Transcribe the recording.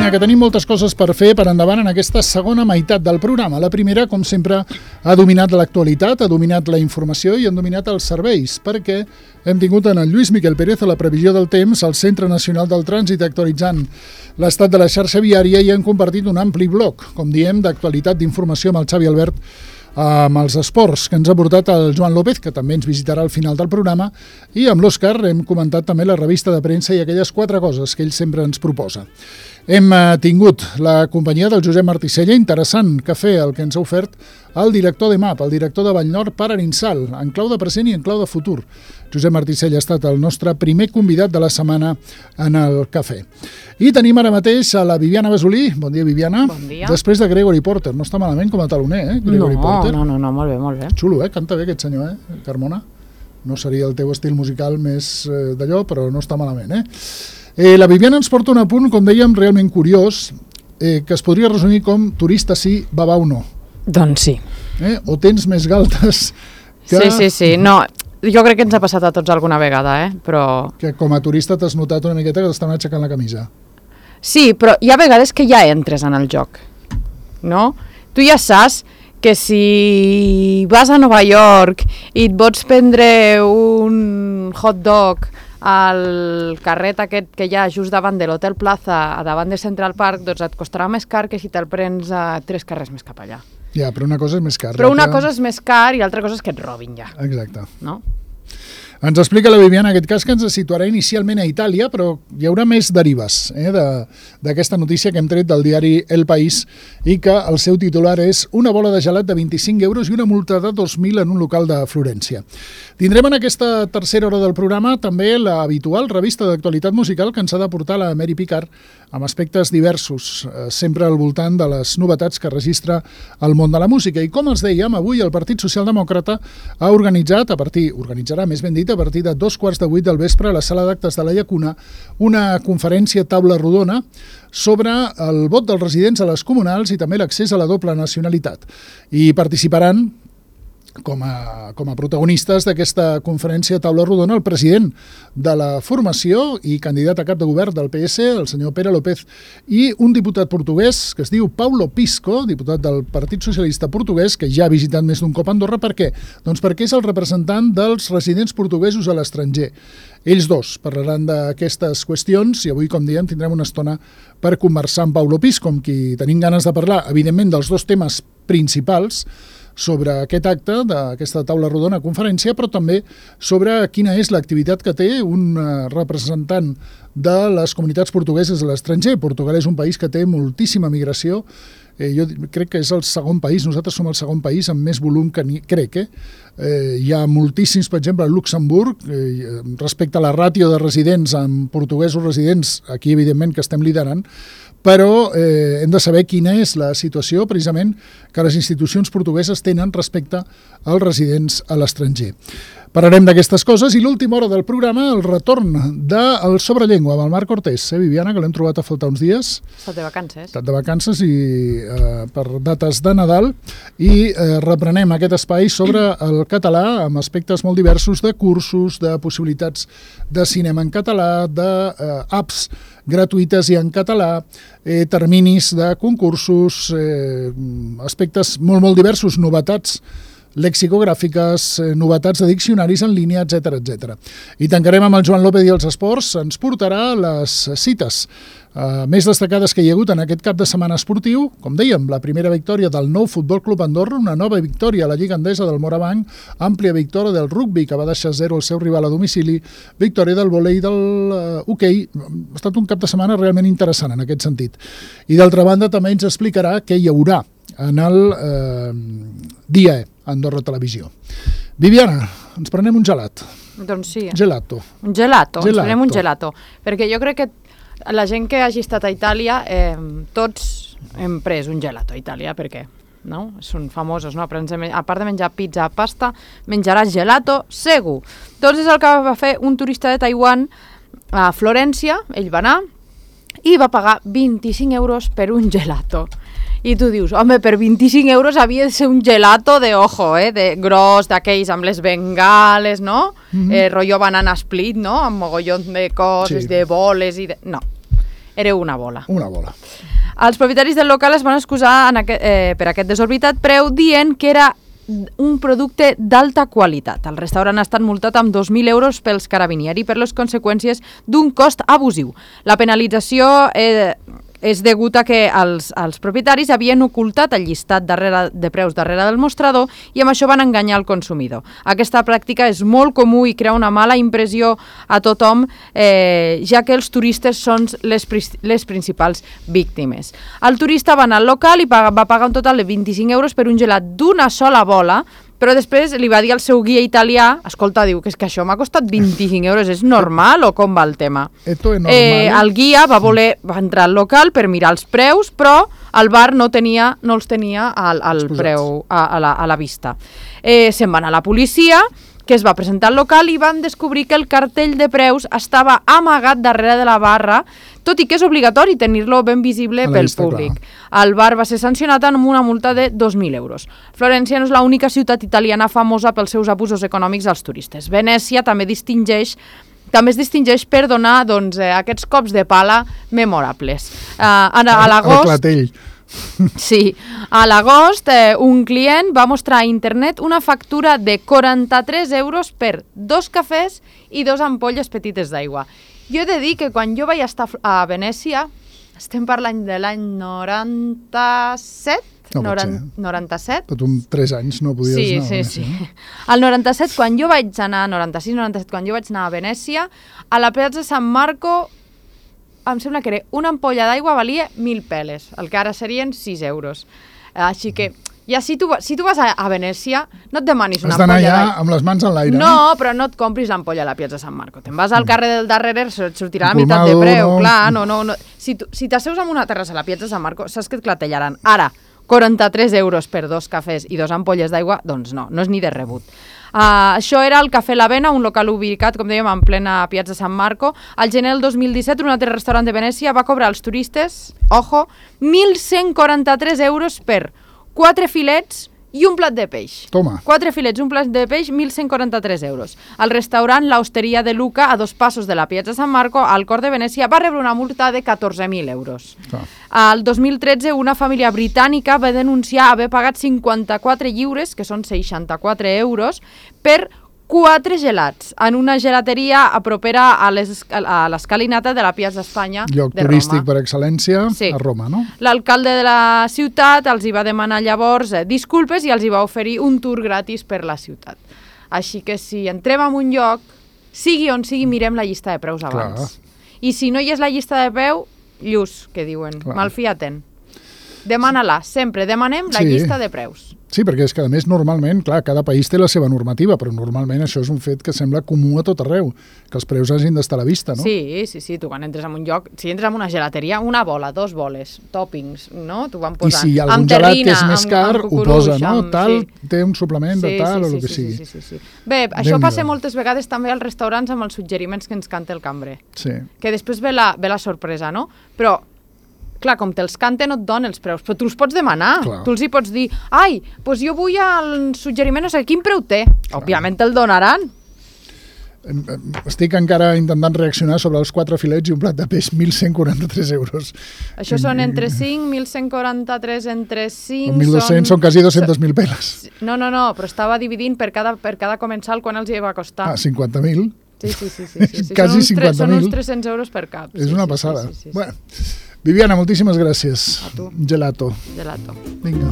Viviana, que tenim moltes coses per fer per endavant en aquesta segona meitat del programa. La primera, com sempre, ha dominat l'actualitat, ha dominat la informació i han dominat els serveis, perquè hem tingut en el Lluís Miquel Pérez a la previsió del temps, al Centre Nacional del Trànsit, actualitzant l'estat de la xarxa viària, i han compartit un ampli bloc, com diem, d'actualitat, d'informació amb el Xavi Albert, amb els esports que ens ha portat el Joan López, que també ens visitarà al final del programa, i amb l'Òscar hem comentat també la revista de premsa i aquelles 4 coses que ell sempre ens proposa. Hem tingut la companyia del Josep Marticella, interessant cafè el que ens ha ofert el director de MAP, el director de Vallnord per Arinsal, en clau de present i en clau de futur. Josep Marticella ha estat el nostre primer convidat de la setmana en el cafè. I tenim ara mateix a la Viviana Besolí. Bon dia, Viviana. Bon dia. Després de Gregory Porter. No està malament com a taloner, Gregory Porter. No, molt bé, molt bé. Xulo, canta bé aquest senyor, Carmona. No seria el teu estil musical més d'allò, però no està malament, La Viviana ens porta un apunt, com dèiem, realment curiós, que es podria resumir com turista sí, babau no. Doncs sí. O tens més galtes que... Sí. No, jo crec que ens ha passat a tots alguna vegada, però... Que com a turista t'has notat una miqueta que t'estan aixecant la camisa. Sí, però hi ha vegades que ja entres en el joc, no? Tu ja saps que si vas a Nova York i et vols prendre un hot dog al carret aquest que hi ha just davant de l'Hotel Plaza, davant de Central Park, doncs et costarà més car que si te'l prens a 3 carrers més cap allà. Ja, però una cosa és més car. Però una cosa és més car i l'altra cosa és que et robin ja. Exacte. No? Ens explica la Viviana, en aquest cas, que ens situarà inicialment a Itàlia, però hi haurà més derives d'aquesta notícia que hem tret del diari El País i que el seu titular és una bola de gelat de 25 euros i una multa de 2.000 en un local de Florència. Tindrem en aquesta tercera hora del programa també l'habitual revista d'actualitat musical que ens ha de portar la Mary Picard amb aspectes diversos, sempre al voltant de les novetats que registra el món de la música. I com els dèiem, avui el Partit Socialdemòcrata ha organitzarà a partir de 7:15 del vespre a la sala d'actes de la Llacuna una conferència taula rodona sobre el vot dels residents a les comunals i també l'accés a la doble nacionalitat. I participaran com a protagonistes d'aquesta conferència taula rodona el president de la formació i candidat a cap de govern del PS, el senyor Pere López, i un diputat portuguès que es diu Paulo Pisco, diputat del Partit Socialista Portuguès, que ja ha visitat més d'un cop Andorra. Per què? Doncs perquè és el representant dels residents portuguesos a l'estranger. Ells dos parlaran d'aquestes qüestions i avui, com diem, tindrem una estona per conversar amb Paulo Pisco, amb qui tenim ganes de parlar, evidentment, dels 2 temes principals sobre aquest acte d'aquesta taula rodona conferència, però també sobre quina és l'activitat que té un representant de les comunitats portugueses a l'estranger. Portugal és un país que té moltíssima migració. Jo crec que és el segon país, nosaltres som el segon país amb més volum que crec. Hi ha moltíssims, per exemple, a Luxemburg, respecte a la ràtio de residents amb portuguesos residents, aquí evidentment que estem liderant, però hem de saber quina és la situació precisament que les institucions portugueses tenen respecte als residents a l'estranger. Parlarem d'aquestes coses i l'última hora del programa, el retorn del Sobrellengua amb el Marc Cortés, Viviana, que l'hem trobat a faltar uns dies. Estat de vacances. Estat de vacances i per dates de Nadal, i reprenem aquest espai sobre el català amb aspectes molt diversos de cursos, de possibilitats de cinema en català, d'apps gratuïtes i en català, terminis de concursos, aspectes molt diversos, novetats lexicogràfiques, novetats de diccionaris en línia, etc. I tancarem amb el Joan López i els esports. Ens portarà les cites més destacades que hi ha hagut en aquest cap de setmana esportiu. Com dèiem, la primera victòria del Nou Futbol Club Andorra, una nova victòria a la Lliga Endesa del Morabanc, àmplia victòria del rugbi, que va deixar 0 el seu rival a domicili, victòria del vòlei del hoquei. Ha estat un cap de setmana realment interessant en aquest sentit. I d'altra banda també ens explicarà què hi haurà en el dia Andorra Televisió. Viviana, ens prenem un gelat. Doncs sí. Gelato. Un gelato. Ens prenem un gelato. Perquè jo crec que la gent que hagi estat a Itàlia, tots hem pres un gelato a Itàlia, perquè no? Són famosos, no? A part de menjar pizza, pasta, menjaràs gelato segur. Doncs és el que va fer un turista de Taiwan a Florència. Ell va anar i va pagar 25 euros per un gelato. I tu dius, home, per 25 euros havia de ser un gelato de ojo, de gros, d'aquells amb les bengales, no? Rotllo banana split, no? Amb mogollon de coses, sí, de boles i de... No. era una bola. Una bola. Els propietaris del local es van excusar per aquest desorbitat preu dient que era un producte d'alta qualitat. El restaurant ha estat multat amb 2.000 euros pels carabinieri per les conseqüències d'un cost abusiu. La penalització és degut a que els propietaris havien ocultat el llistat de preus darrere del mostrador i amb això van enganyar el consumidor. Aquesta pràctica és molt comú i crea una mala impressió a tothom, ja que els turistes són les principals víctimes. El turista va anar al local i va pagar un total de 25 euros per un gelat d'una sola bola, però després li va dir al seu guia italià, escolta, diu, que és que això m'ha costat 25 euros, és normal o com va el tema? Esto es normal. El guia va entrar al local per mirar els preus, però el bar no els tenia al preu, a la vista. Se'n va anar a la policia, que es va presentar al local i van descobrir que el cartell de preus estava amagat darrere de la barra, tot i que és obligatori tenir-lo ben visible pel públic. El bar va ser sancionat amb una multa de 2.000 euros. Florència no és l'única ciutat italiana famosa pels seus abusos econòmics als turistes. Venècia també es distingeix per donar aquests cops de pala memorables. A l'agost... Sí, a l'agost un client va mostrar a internet una factura de 43 euros per 2 cafès i 2 ampolles petites d'aigua. Jo he de dir que quan jo vaig estar a Venècia, estem parlant de l'any 97? No 97? Tot un 3 anys no podies anar a Venècia. Sí. El 97, quan jo vaig anar, 96-97, quan jo vaig anar a Venècia, a la Piazza San Marco em sembla que una ampolla d'aigua valia 1.000 peles, el que ara serien 6 euros. Així que, ja si tu vas a Venècia, no et demanis una ampolla d'aigua. Has d'anar ja amb les mans en l'aire. No, però no et compris l'ampolla a la Piazza San Marco. Te'n vas al carrer del darrere, et sortirà la meitat de preu. Clar, no. Si t'asseus en una terrassa a la Piazza San Marco, saps que et clatellaran. Ara, 43 euros per 2 cafès i 2 ampolles d'aigua, doncs no és ni de rebut. Això era el Cafè l'Avena, un local ubicat, com dèiem, en plena Piazza San Marco. Al gener del 2017, un altre restaurant de Venècia va cobrar als turistes, 1.143 euros per 4 filets i un plat de peix. Toma. 4 filets, un plat de peix, 1.143 euros. El restaurant L'Osteria de Luca, a 2 passos de la Piazza San Marco, al cor de Venècia, va rebre una multa de 14.000 euros. Al 2013, una família britànica va denunciar haver pagat 54 lliures, que són 64 euros, per 4 gelats en una gelateria propera a l'escalinata de la Piazza Espanya de Roma. Lloc turístic per excel·lència a Roma, no? L'alcalde de la ciutat els hi va demanar llavors disculpes i els hi va oferir un tour gratis per la ciutat. Així que si entrem en un lloc, sigui on sigui, mirem la llista de preus abans. I si no hi és la llista de preu, lluç, que diuen, malfia-te'n. Demana-la, sempre demanem la llista de preus. Sí, perquè és que a més normalment, clar, cada país té la seva normativa, però normalment això és un fet que sembla comú a tot arreu, que els preus hagin d'estar a la vista, no? Sí, tu quan entres en un lloc, si entres en una gelateria, una bola, 2 boles, toppings, no? T'ho van posant. I si algun gelat que és més car, ho posa, no? Tal, té un suplement de tal o el que sigui. Sí. Bé, això passa moltes vegades també als restaurants amb els suggeriments que ens canta el cambrer. Sí. Que després ve la sorpresa, no? Però clar, com te'ls canta no et dona els preus, però tu els pots demanar. Tu els hi pots dir, doncs jo vull el suggeriment, no sé quin preu té. Òbviament te'l donaran. Estic encara intentant reaccionar sobre els 4 filets i un plat de peix, 1.143 euros. Això són entre 5, 1.143 entre 5... 1.200 són quasi 200.000 peles. No, però estava dividint per cada comensal quan els hi va costar. 50.000. Sí. Quasi 50.000. Són uns 300 euros per cap. És una passada. Bueno, Viviana, moltíssimes gràcies. A tu. Gelato. Gelato. Vinga.